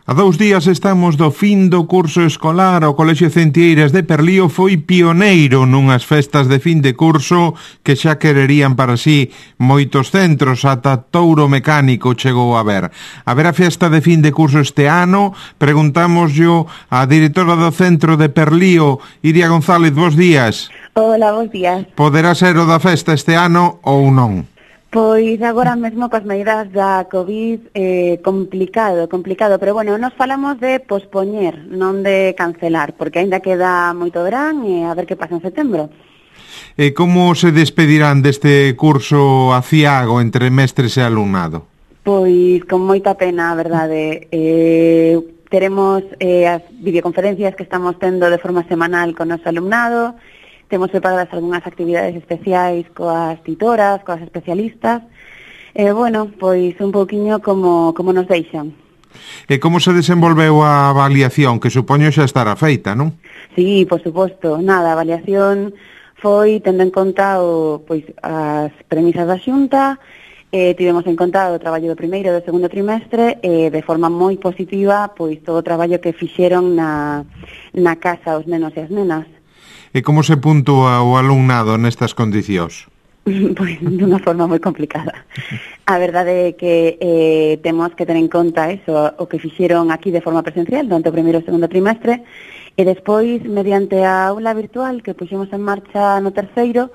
A 2 días estamos do fin do curso escolar. O Colexio Centieiras de Perlío foi pioneiro nunhas festas de fin de curso que xa quererían para sí moitos centros, ata Touro Mecánico chegou a ver. A ver a festa de fin de curso este ano, preguntámoslle a directora do centro de Perlío, Iria González, bos días. Hola, bos días. Poderá ser o da festa este ano ou non? Pois agora mesmo coas medidas da COVID complicado, pero bueno, nos falamos de pospoñer, non de cancelar, porque aínda queda moito verán e a ver que pasa en setembro. E como se despedirán deste curso aciago entre mestres e alumnado? Pois con moita pena, a verdade. Teremos as videoconferencias que estamos tendo de forma semanal con o noso alumnado. Temos preparadas algunhas actividades especiais coas titoras, coas especialistas. Bueno, pois un pouquiño como nos deixan. E como se desenvolveu a avaliación, que supoño xa estará feita, non? Sí, por suposto. Nada, a avaliación foi tendo en conta as premisas da Xunta, tivemos en conta o traballo do primeiro e do segundo trimestre, de forma moi positiva, pois todo o traballo que fixeron na casa os nenos e as nenas. E como se puntúa o alumnado nestas condicións? Pois dunha forma moi complicada. A verdade é que temos que ter en conta eso, o que fixeron aquí de forma presencial durante o primeiro e segundo trimestre, e despois, mediante a aula virtual que puxemos en marcha no terceiro,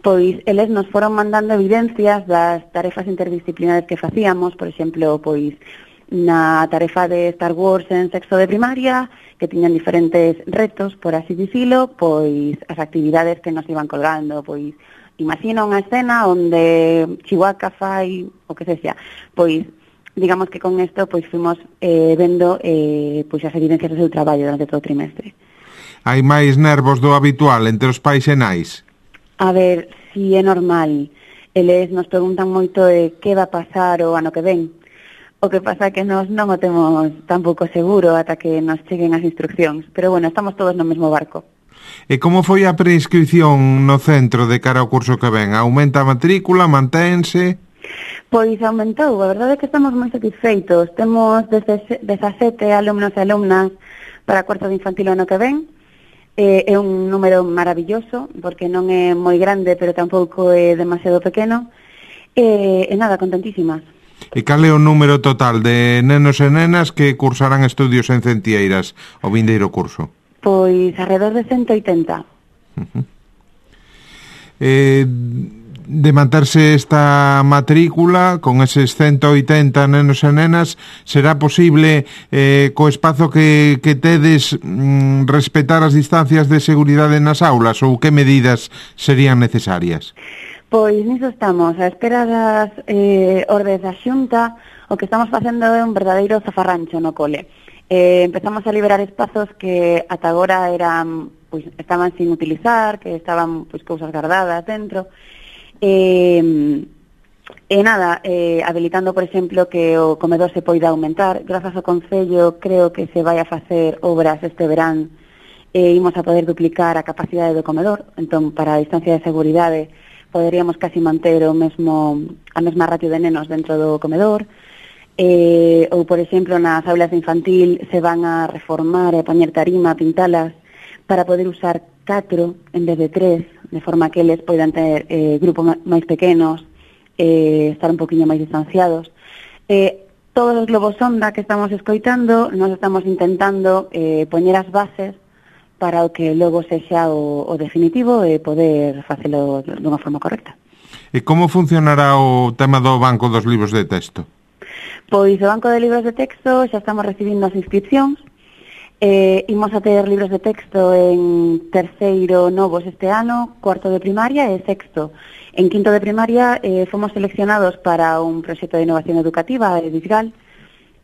pois eles nos foron mandando evidencias das tarefas interdisciplinares que facíamos, por exemplo, pois na tarefa de Star Wars en sexto de primaria, que tiñan diferentes retos, por así dicilo, pois as actividades que nos iban colgando, pois imagina unha escena onde Chihuahua fai o que sexa, pois digamos que con isto pois fuimos vendo pois as evidencias do seu traballo durante todo o trimestre. Hai máis nervos do habitual entre os pais e nais? A ver, si é normal. Eles nos preguntan moito de que va a pasar o ano que ven. O que pasa é que nós non o temos tampouco seguro ata que nos cheguen as instruccións. Pero bueno, estamos todos no mesmo barco. E como foi a preinscripción no centro de cara ao curso que ven? Aumenta a matrícula? Manténse? Pois aumentou. A verdade é que estamos moi satisfeitos. Temos 17 alumnos e alumnas para cuarto de infantil o ano que ven. É un número maravilloso, porque non é moi grande, pero tampouco é demasiado pequeno. E nada, contentísimas. E cal é o número total de nenos e nenas que cursarán estudios en Centieiras o vindeiro curso? Pois alrededor de 180. De manterse esta matrícula con eses 180 nenos e nenas, será posible co espazo que tedes respetar as distancias de seguridade nas aulas, ou que medidas serían necesarias? Pois niso estamos, a espera das ordes da Xunta. O que estamos facendo é un verdadeiro zafarrancho no cole. Empezamos a liberar espazos que ata agora estaban sin utilizar, que estaban cousas guardadas dentro. Habilitando, por exemplo, que o comedor se poida aumentar. Grazas ao Concello, creo que se vai a facer obras este verán, imos a poder duplicar a capacidade do comedor. Entón, para a distancia de seguridade, poderíamos casi manter a mesma ratio de nenos dentro do comedor. Ou, por exemplo, nas aulas de infantil se van a reformar e poñer tarima, pintalas, para poder usar 4 en vez de 3, de forma que eles poidan ter grupos máis pequenos, estar un poquinho máis distanciados. Todos os globos sonda que estamos escoitando, nós estamos intentando poñer as bases para o que logo sexa o definitivo e poder facelo dunha forma correcta. E como funcionará o tema do banco dos libros de texto? Pois o banco de libros de texto xa estamos recibindo as inscripcións. Imos a ter libros de texto en terceiro novos este ano, cuarto de primaria e sexto. En quinto de primaria fomos seleccionados para un proxecto de innovación educativa de Disgal.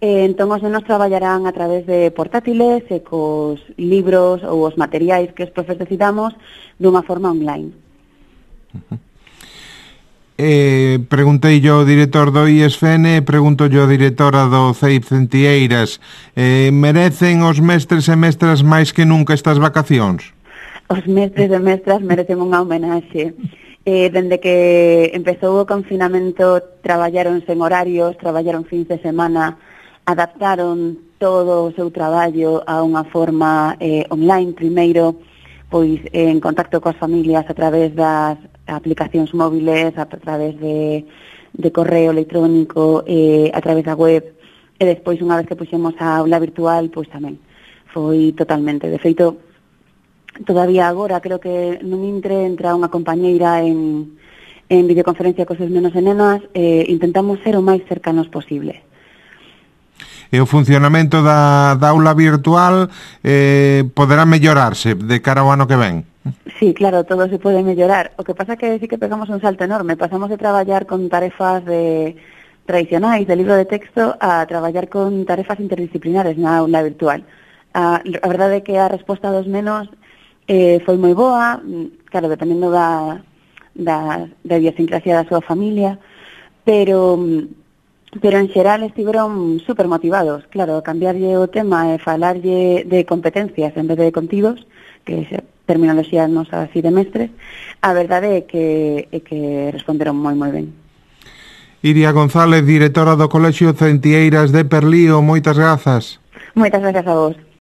Entón os nenos traballarán a través de portátiles e cos libros ou os materiais que os profes decidamos dunha forma online. Preguntei yo ao director do IESFEN, pregunto yo a directora do CEIP Centieiras, merecen os mestres e mestras máis que nunca estas vacacións? Os mestres e mestras merecen unha homenaxe. Dende que empezou o confinamento traballaron sen horarios, traballaron fins de semana, adaptaron todo o seu traballo a unha forma online, primeiro, pois en contacto coas familias a través das aplicacións móviles, a través de correo electrónico, a través da web, e despois, unha vez que puxemos a aula virtual, pois tamén foi totalmente. De feito, todavía agora creo que nun entra unha compañeira en videoconferencia cos seus nenos e nenas, intentamos ser o máis cercanos posible. E o funcionamento da aula virtual poderá mellorarse de cara ao ano que ven? Sí, claro, todo se pode mellorar. O que pasa é que sí que pegamos un salto enorme. Pasamos de traballar con tarefas tradicionais de libro de texto a traballar con tarefas interdisciplinares na aula virtual. A verdade é que a resposta dos nenos foi moi boa, claro, dependendo da idiosincrasia da súa familia, pero en xeral estiveron super motivados. Claro, cambiarlle o tema e falarlle de competencias en vez de contidos, que é terminoloxía nosa así de mestres, a verdade é que responderon moi ben. Iria González, directora do Colexio Centieiras de Perlío, moitas grazas. Moitas grazas a vos.